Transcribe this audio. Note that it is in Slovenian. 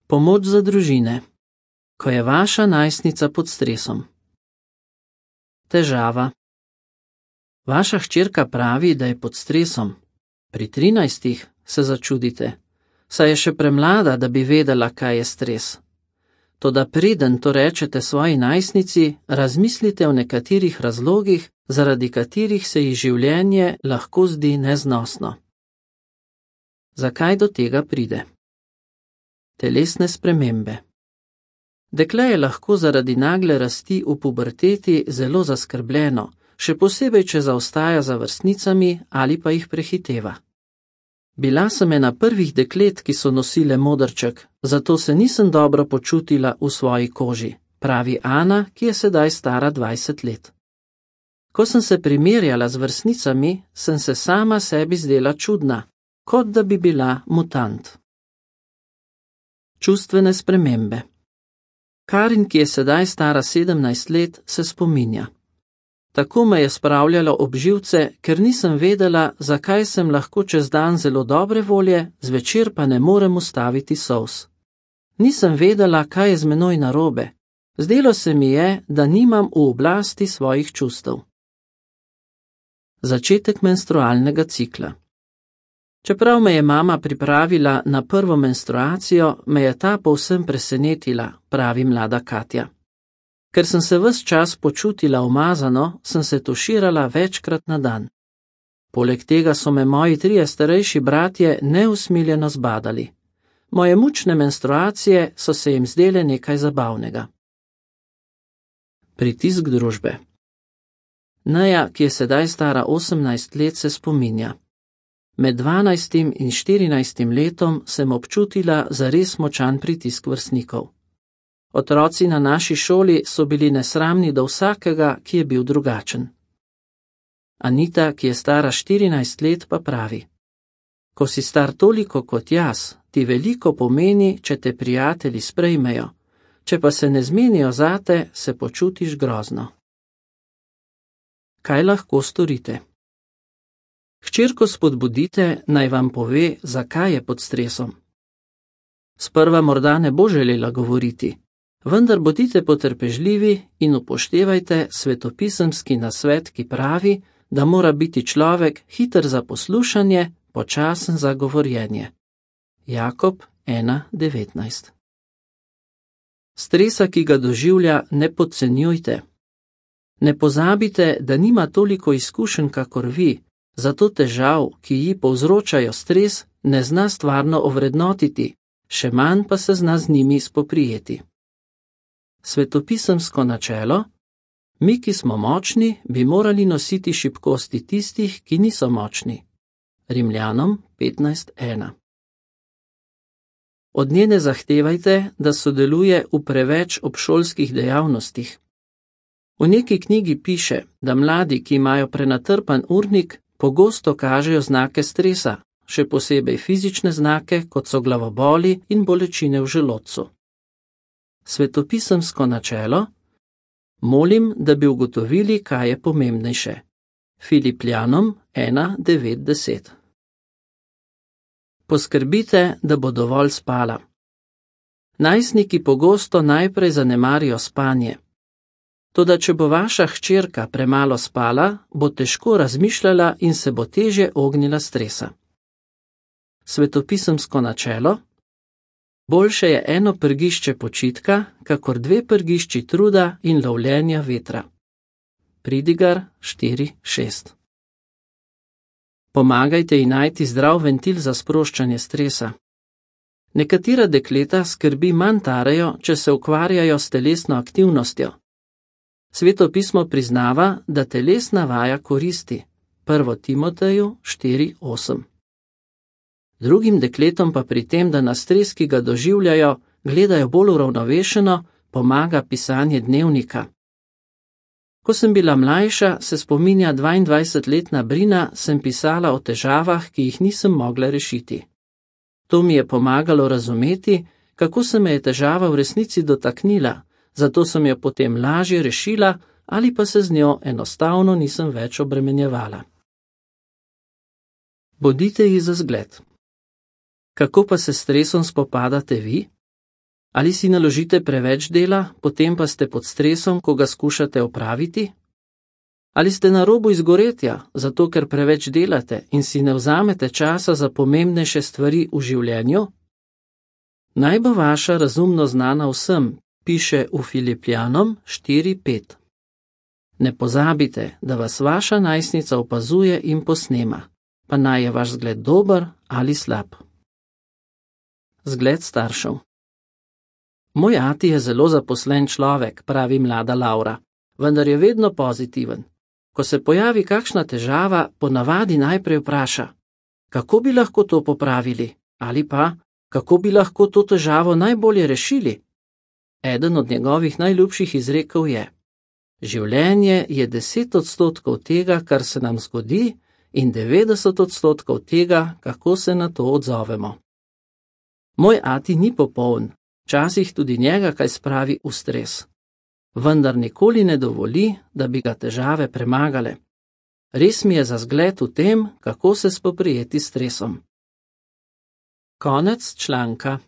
Pomoč za družine. Ko je vaša najstnica pod stresom. Težava. Vaša hčerka pravi, da je pod stresom. Pri 13 se začudite, saj je še premlada, da bi vedela, kaj je stres. Toda preden to rečete svoji najstnici, razmislite o nekaterih razlogih, zaradi katerih se ji življenje lahko zdi neznosno. Zakaj do tega pride? Telesne spremembe. Dekle je lahko zaradi nagle rasti v puberteti zelo zaskrbljeno, še posebej, če zaostaja za vrstnicami ali pa jih prehiteva. Bila sem ena prvih deklet, ki so nosile modrček, zato se nisem dobro počutila v svoji koži, pravi Ana, ki je sedaj stara 20 let. Ko sem se primerjala z vrstnicami, sem se sama sebi zdela čudna, kot da bi bila mutant. Čustvene spremembe. Karin, ki je sedaj stara 17 let, se spominja. Tako me je spravljalo ob živce, ker nisem vedela, zakaj sem lahko čez dan zelo dobre volje, zvečer pa ne morem ustaviti solz. Nisem vedela, kaj je z menoj narobe. Zdelo se mi je, da nimam v oblasti svojih čustev. Začetek menstrualnega cikla. Čeprav me je mama pripravila na prvo menstruacijo, me je ta povsem presenetila, pravi mlada Katja. Ker sem se ves čas počutila umazano, sem se tuširala večkrat na dan. Poleg tega so me moji 3 starejši bratje neusmiljeno zbadali. Moje mučne menstruacije so se jim zdele nekaj zabavnega. Pritisk družbe. Neja, ki je sedaj stara 18 let, se spominja. Med 12. in 14. letom sem občutila zares močan pritisk vrstnikov. Otroci na naši šoli so bili nesramni do vsakega, ki je bil drugačen. Anita, ki je stara 14 let, pa pravi: Ko si star toliko kot jaz, ti veliko pomeni, če te prijatelji sprejmejo, če pa se ne zmenijo zate, se počutiš grozno. Kaj lahko storite? Hčerko spodbudite, naj vam pove, zakaj je pod stresom. Sprva morda ne bo želela govoriti, vendar bodite potrpežljivi in upoštevajte svetopisemski nasvet, ki pravi, da mora biti človek hiter za poslušanje, počasen za govorjenje. Jakob 1:19. Stresa, ki ga doživlja, ne podcenjujte. Ne pozabite, da nima toliko izkušenj kakor vi, zato težav, ki ji povzročajo stres, ne zna stvarno ovrednotiti, še manj pa se zna z njimi spoprijeti. Svetopisemsko načelo: mi, ki smo močni, bi morali nositi šibkosti tistih, ki niso močni. Rimljanom 15:1. Od nje ne zahtevajte, da sodeluje v preveč obšolskih dejavnostih. V neki knjigi piše, da mladi, ki imajo prenatrpan urnik, pogosto kažejo znake stresa, še posebej fizične znake, kot so glavoboli in bolečine v želodcu. Svetopisemsko načelo: molim, da bi ugotovili, kaj je pomembnejše. Filipljanom 1:9-10. Poskrbite, da bo dovolj spala. Najstniki pogosto najprej zanemarijo spanje. Toda če bo vaša hčerka premalo spala, bo težko razmišljala in se bo težje ognila stresa. Svetopisemsko načelo: boljše je eno prgišče počitka, kakor 2 prgišči truda in lovljenja vetra. Pridigar 4:6. Pomagajte ji najti zdrav ventil za sproščanje stresa. Nekatera dekleta skrbi manj tarejo, če se ukvarjajo s telesno aktivnostjo. Sveto pismo priznava, da telesna vaja koristi. 1. Timoteju 4:8. Drugim dekletom pa pri tem, da na stres, ki ga doživljajo, gledajo bolj uravnovešeno, pomaga pisanje dnevnika. Ko sem bila mlajša, se spominja 22-letna Brina, sem pisala o težavah, ki jih nisem mogla rešiti. To mi je pomagalo razumeti, kako se me je težava v resnici dotaknila, zato sem jo potem lažje rešila ali pa se z njo enostavno nisem več obremenjevala. Bodite ji za zgled. Kako pa se s stresom spopadate vi? Ali si naložite preveč dela, potem pa ste pod stresom, ko ga skušate opraviti? Ali ste na robu izgoretja, zato ker preveč delate in si ne vzamete časa za pomembnejše stvari v življenju? Naj bo vaša razumno znana vsem, piše v Filipljanom 4:5. Ne pozabite, da vas vaša najstnica opazuje in posnema, pa naj je vaš zgled dober ali slab. Zgled staršev. Moj ati je zelo zaposlen človek, pravi mlada Laura, vendar je vedno pozitiven. Ko se pojavi kakšna težava, ponavadi najprej vpraša, kako bi lahko to popravili, ali pa, kako bi lahko to težavo najbolje rešili. Eden od njegovih najljubših izrekov je: življenje je 10% tega, kar se nam zgodi, in 90% tega, kako se na to odzovemo. Moj ati ni popoln, včasih tudi njega kaj spravi v stres. Vendar nikoli ne dovoli, da bi ga težave premagale. Res mi je za zgled v tem, kako se spoprijeti s stresom. Konec članka.